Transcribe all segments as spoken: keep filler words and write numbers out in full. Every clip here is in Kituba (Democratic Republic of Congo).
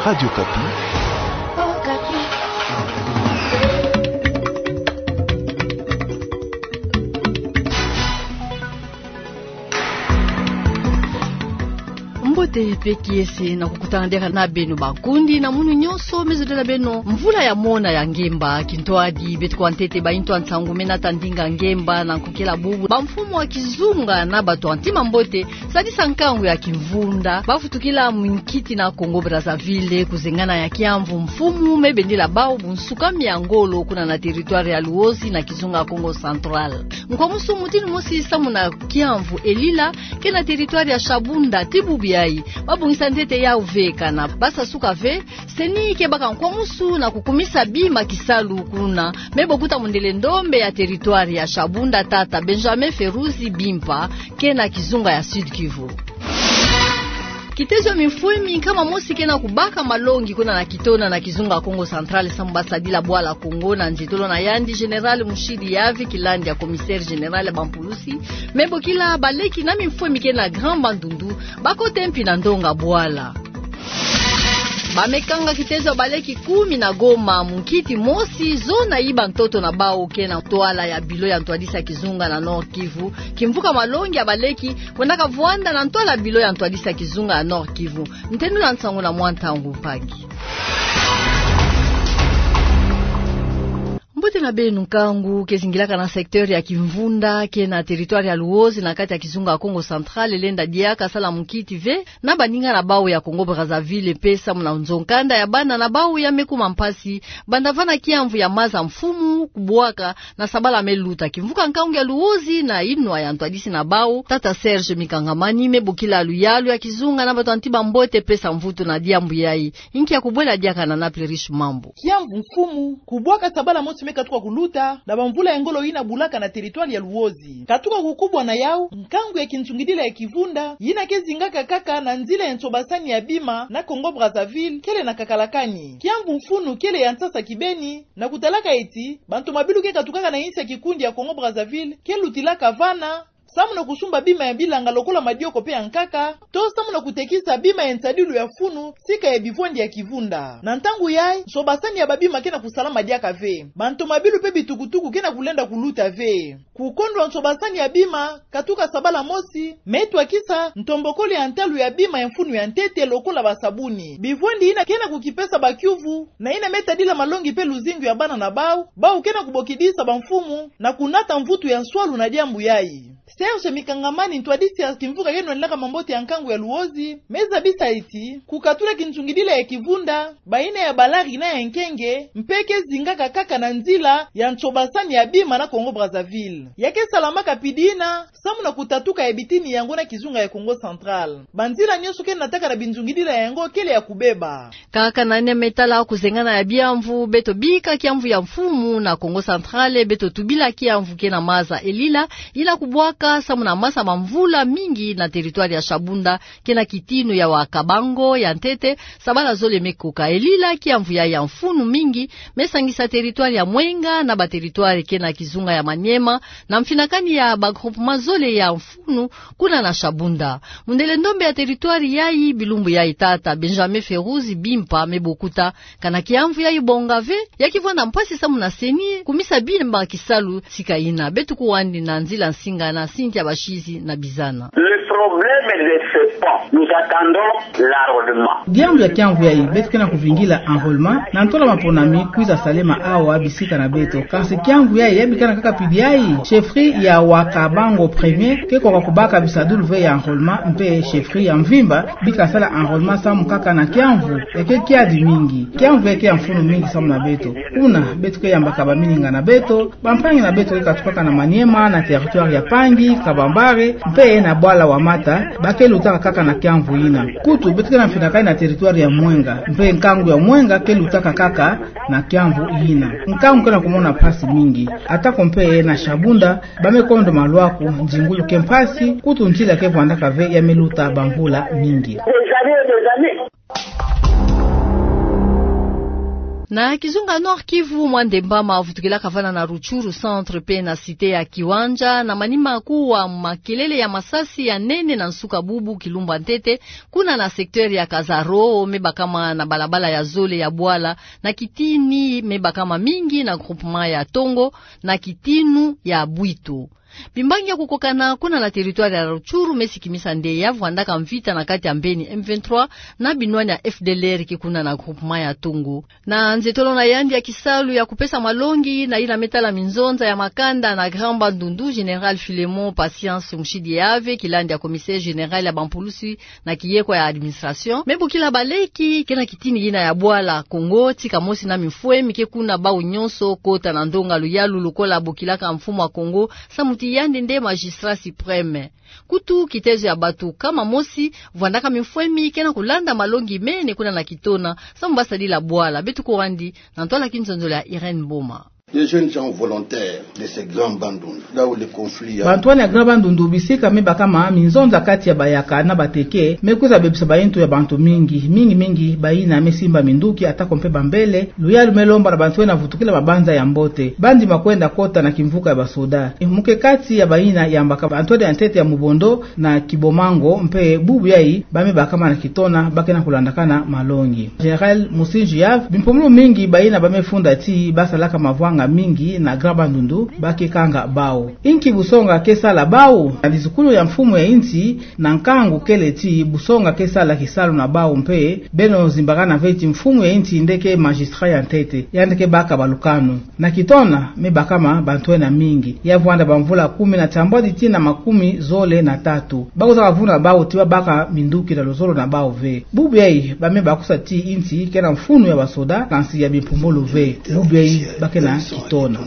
Radio Okapi. Mbote mpe kiese na kukutana diaka na beno bankundi na munu nyonso me zolele na beno. Mvula ya mona ya ngemba, kintwadi beto kuwa ntete baintu ya nsangu me nata ndinga ngemba na nkokela bubu. Bamfumu ya kizunga na bato ya ntima mbote, sadisa nkangu ya kivunda, bavutukila munkiti na Congo Brazzaville, kuzengana ya kiamvu mfumu me bendela bau bunsukami ya ngolo kuna na territoire ya Luozi na kizunga Kongo Central. Nkwamusu mutinu mosi samu na kiamvu Elila, ke na territoire ya Shabunda, ti bubu yayi babongisa ntete yau ve kana basa suka ve. CENI ke baka nkwamusu na kukumisa bima kisalu kuna, me bokuta mundele ndombe ya territoire ya Shabunda, tata Benjamin Feruzi Bimpa, ke na kizunga ya Sud-Kivu. Kitezo ya mimfwemi nkama mosi ke na kubaka malongi kuna na Kitona na kizunga Kongo Central samu basadila bwala Congo na nzietolo na yandi Général Mushidi Yavi, kilandi ya commissaire général ya bampulusi, me bokila baleki na mimfwemi ke na Grand Bandundu, bakota mpi na ndonga bwala. Bamekanga kitezo ya baleki kumi na goma, munkiti mosi, zona yiba ntoto na bau ke na ntwala ya bilo ya ntwadisi ya kizunga na Nord-Kivu. Kimvuka malongi ya baleki kwendaka vwanda na ntwala ya bilo ya ntwadisi ya kizunga ya Nord-Kivu. Ntendula nsangu na Mwa Ntangu Mpangi. Mbote na beno. Nkangu ke zingilaka na secteur ya kivunda ke na territoire ya Luozi na kati ya kizunga Kongo Central lenda diaka sala munkiti ve na baninga na bau ya Congo Brazzaville, mpe samu na nzo nkanda ya bana na bau ya me kuma mpasi banda vana kiamvu ya maza mfumu kubwaka na sabala me luta. Kimvuka nkangu ya Luozi na inwa ya ntwadisi na bau, tata Serge Mikangamani, me bokila luyalu ya kizunga na bato ya ntima mbote pesa mvutu na diambu yayi. Inki ya kubwela diaka na Naples Riche Mambu. Kiamvu mfumu kubwaka sabala mosi me katuka kuluta na bamvula ya ngolo yina bulaka na territoire ya Luozi. Katuka kukubwa na yau, nkangu ya kinzungidila ya kivunda yina ke zingaka kaka na nzila ya nsobasani ya bima na Congo Brazzaville kele na kakalakani. Kiamvu mfunu kele ya nsasa kibeni, na kutalaka eti bantomabilu ke katukaka na insi ya kikundi ya Congo Brazzaville ke lutilaka vana samu na kusumba bima ya bilanga lokola madioko mpe ya nkaka, to samu na kutekisa bima ya nsadilu ya funu sika ya bivwandi ya kivunda. Na ntangu yayi, nsobasani ya babima ke na kusalama diaka ve. Bantomabilu mpe bitukutuku ke na kulenda kuluta ve. Kukondwa nsobasani ya bima katuka sabala mosi me twakisa ntombokolo ya ntalu ya bima ya mfunu ya ntete lokola basabuni. Bivwandi yina ke na kukipesa bakiuvu, na yina me tadila malongi mpe luzingu ya bana na bau, bau ke na kubokidisa bamfumu na kunata mvutu ya nswalu na diambu yayi. Serge Mikangamani, ntwadisi ya kimvuka ke nwenaka mambote ya nkangu ya Luozi, me zabisa eti kukatula kinzungidila ya kivunda, bayina ya balari na ya nkenge, mpe ke zingaka kaka na nzila ya nsobasani ya bima na Congo Brazzaville. Ya ke salamaka pidina samu na kutatuka ya bitini yango na kizunga ya Congo Central. Banzila nyonso ke nataka na binzungidila yango kele ya kubeba. Kaka na yina me tala kuzengana ya biamvu, beto bika kiamvu ya mfumu na Congo Central, beto tubila kiamvu ke na maza Elila, yina kubwaka samu na masa ma mvula mingi na territoire ya Shabunda, ke na kitinu ya Wakabango ya ntete, sabala zole me koka. Elila, kiamvu yayi ya mfunu mingi, me sangisa territoire ya Mwenga na ba territoire ke na kizunga ya Maniema, na mfinakani ya ba groupement zole ya mfunu kuna na Shabunda. Mundele ndombe ya territoire yayi bilumbu yayi, tata Benjamin Feruzi Bimpa, me bokuta kana kiamvu yayi bonga ve, ya kivwanda mpasi samu na CENI kumisa bima kisalu sika yina. Beto kuwandi na nzila nsinga na Cynthia Bashizi na Bizana. Le problème de ce pont, nous attendons l'enrôlement. Diambu ya kiamvu yayi, beto ke na kuvingila enrôlement, na ntola maponami kwiza salema awa bisika na beto. Kansi kiamvu yayi ya bikana kaka pidi yayi, chefferie ya Wakabango premier ke koka kubaka bisadulu ve ya enrôlement, mpe chefferie ya mvimba bika sala enrôlement samu kaka na kiamvu. Ya ke kiadi mingi. Kiamvu ya ke ya mfunu mingi samu na beto. Kuna, beto ke yambaka bamininga na beto, bampangi na beto ke katukaka na Maniema, na territoire ya Pangi, Kabambare, mpe na Bwala Wamata, ba ke lutaka kaka na kiamvu yina. Kutu, beto ke na mfinakani na territoire ya Mwenga, mpe nkangu ya Mwenga ke lutaka kaka na kiamvu yina. Nkangu ke na kumona mpasi mingi. Atako mpe na Shabunda, ba me kondo malwaku, nzingulu ke mpasi, kutu nzila ke vwandaka ve ya me luta bamvula mingi. Des années et des années. Na kizunga Nord-Kivu, mwa ndemba ma vutukilaka vana na Rutshuru centre pe na cité ya Kiwanja, na manima kuwa makelele ya masasi ya nene na nsuka bubu kilumbu ya ntete, kuna na secteur ya Kazaro, me bakama na balabala ya zole ya bwala, na kitini me bakama mingi na groupement ya Tongo, na kitinu ya Bwitu. Bimbangi ya kukokana kuna na territoire ya Rutshuru me sikimisa nde ya vwandaka mvita na kati ya mbeni M vingt-trois na binwani ya F D L R ke kuna na groupement ya Tongo. Na nzetolo na yandi ya kisalu ya kupesa malongi na yina me tala minzonza ya makanda na Grand Bandundu, Général Philémon Patience Mushidi Yave, kilandi ya commissaire général ya bampulusi na kiyekwa ya administration, me bokila baleki ke na kitini yina ya bwala Kongo, tika mosi na mifwemi ke kuna bau nyonso kota na ndonga luyalu lokola bokilaka mfumu wa Kongo, samu ti yandi nde magistrat suprême. Kutu kitezo ya batu kama mosi vwandaka mifwemi ke na kulanda malongi mene kuna na Kitona, samu basadila bwala. Beto kurandi na ntwala kinzonzolo ya Irène Mboma. Les jeunes gens volontaires de ce Grand Bandundu, là où le conflit a... Bantwani ya Grand Bandundu, bisika me bakama minzonza kati ya bayaka na bateke, me kwiza bebisa bayintu ya bantu mingi, mingi mingi bayina me simba minduki, atako mpe bambele. Luyalu me lomba na bantu ena vutukila mabanza ya mbote, bandima kwenda kota na kimvuka ya basoda. Muke kati ya bayina yambaka bantwadi ya ntete ya Mubondo na Kibomango mpe bubu yayi ba me bakama na Kitona, ba ke na kulandakana malongi. Général Musinji Yave, bimpumulu mingi bayina ba me funda ti basalaka mavwanga mingi na Grand Bandundu, ba ke kanga bau. Inki busonga ke sala bau? Na dizukulu ya mfumu ya insi, na nkangu kele ti busonga ke sala kisalu na bau mpe, beno zimbakana ve ti mfumu ya insi nde ke magistrat ya ntete, yandi ke baka balukanu. Na Kitona me bakama bantu ena mingi. Ya vwanda bamvula kumi na tiambwadi tii na makumi zole na tatu. Ba kwiza kavuna bau ti ba baka minduki na luzolo na bau ve. Bubu yayi ba me bakusa ti insi ke na mfunu ya basoda, kansi ya bimpumulu ve. Bubu yayi ba ke na Kitona.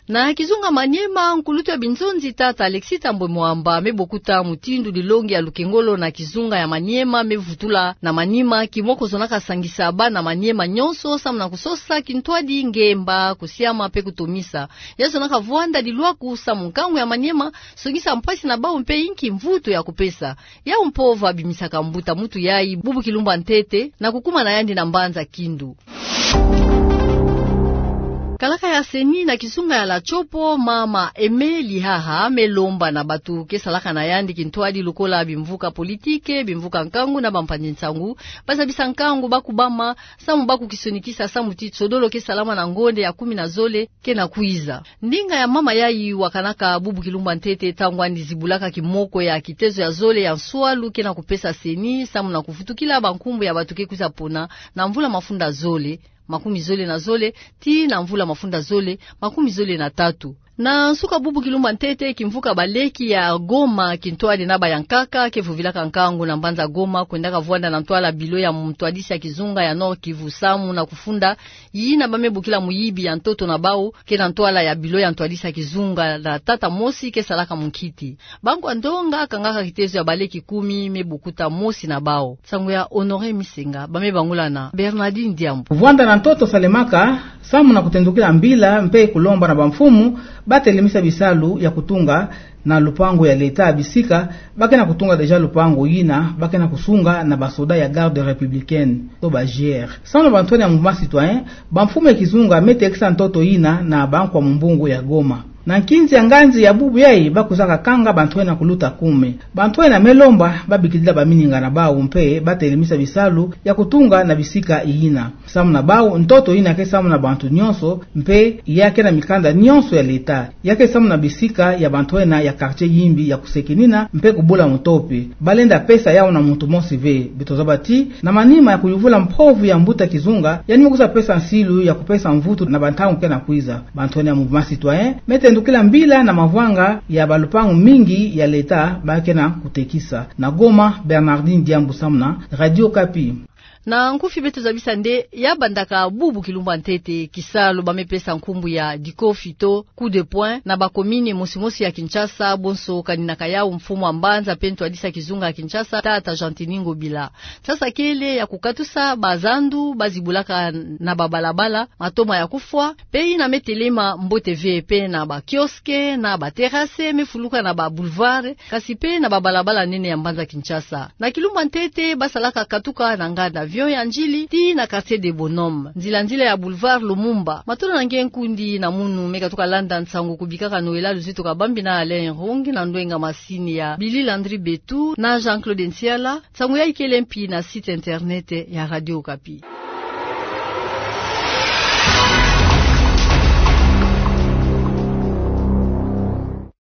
Na kizunga Maniema, nkulutu ya binzonzi tata Alexis Thambwe Mwamba me bokuta mutindu dilongi ya lukengolo na kizunga ya Maniema me vutula na manima, kimoko zonaka sangisa bana Maniema nyonso samu na kusosa kintwadi, ngemba, kusiama mpe kutomisa. Ya zonaka vwanda dilwaku samu nkangu ya Maniema songisa mpasi na bau mpe inki mvutu ya kupesa. Yau mpova bimisaka mbuta muntu yayi bubu kilumbu ya ntete na kukuma na yandi na mbanza Kindu. Kalaka ya CENI na kizunga ya La Tshopo, mama Aimée Lihaha me lomba na batu ke salaka na yandi kintwadi lokola bimvuka politike, bimvuka nkangu na bampangi nsangu, ba zabisa nkangu ba kubama samu ba kukisonikisa samu ti tsodolo ke salama na ngonde ya kumi na zole ke na kwiza. Ndinga ya mama yayi wakanaka bubu kilumbu ya ntete ntangu yandi zibulaka kimoko ya kitezo ya zole ya nswalu ke na kupesa CENI samu na kuvutukila bankumbu ya batu ke kwiza pona na mvula mafunda zole makumi zole na zole tii na mvula mafunda zole makumi zole na tatu. Na nsuka bubu kilumbu ya ntete, kimvuka baleki ya Goma kintwadi na bayankaka ke vuvilaka nkangu na mbanza Goma, kwendaka vwanda na ntwala bilo ya mutwadisi ya kizunga ya Nord-Kivu samu na kufunda yina ba me bokila muyibi ya ntoto na bau ke na ntwala ya bilo ya ntwadisi ya kizunga na tata mosi ke salaka munkiti. Bankwa ndonga kangaka kitezo ya baleki kumi me bokuta mosi na bau. Nsangu ya Honoré Misenga, ba me bangula na Bernardine Diambu. Vwanda na ntoto salemaka samu na kutendukila mbila mpe kulomba na bamfumu ba telemisa bisalu ya kutunga na lupangu ya leta bisika ba ke na kutunga déjà lupangu yina ba ke na kusunga na basoda ya Garde républicaine to ba G R. Samu na bantwenia mouvement citoyen, bamfumu ya kizunga me tekisa ntoto yina na bankwa mumbungu ya Goma. Na nkinzi ya nganzi ya bubu yayi ba kwizaka kanga bantwenia kuluta kume. Bantwenia me lomba ba bikidila bamininga na bau mpe ba telemisa bisalu ya kutunga na bisika yina. Samu na bau, ntoto yina ke samu na bantu nyonso, mpe ya ke na mikanda nyonso ya leta. Ya ke samu na bisika ya bantwenia ya quartier yimbi ya kusekenina mpe kubula mutopi. Ba lenda pesa yau na muntu mosi ve. Beto zaba ti na manima ya kuyuvula mpovu ya mbuta kizunga, yandi me kwiza pesa nsilu ya kupesa mvutu na bantangu ke na kwiza. Bantwenia mouvement citoyen me tendukila mbila na mavwanga ya balupangu mingi ya leta ba ke na kutekisa. Na Goma, Bernardine Diambu samu na Radio Okapi. Na nkufi beto zabisa nde ya bandaka bubu kilumbu ya ntete kisalu ba me pesa nkumbu ya dikofi to coup de poing na bakomini mosi mosi ya Kinshasa, bonso kaninaka yau mfumu wa mbanza mpe ntwadisi ya kizunga ya Kinshasa, tata Gentiny Ngobila. Sasa kele ya kukatusa bazandu ba zibulaka na babalabala, matoma ya kufwa, mpe yina me telema mbote ve, mpe na ba kiosque, na ba terrasse me fuluka na ba boulevard, kasi mpe na babalabala nene ya mbanza Kinshasa. Na kilumbu ya ntete ba salaka katuka na nganda Pavillon ya Ndjili tii na Quartier des Bonhommes, nzila nzila ya Boulevard Lumumba. Matondo na nge nkundi na munu me katuka landa nsangu kubika ka Noëlla Luzito Kabambi na Alain Irung, na ndwenga masini ya Billy Landry Betou na Jean-Claude Nsiala. Nsangu ya ikele mpi na site internet ya Radio Okapi.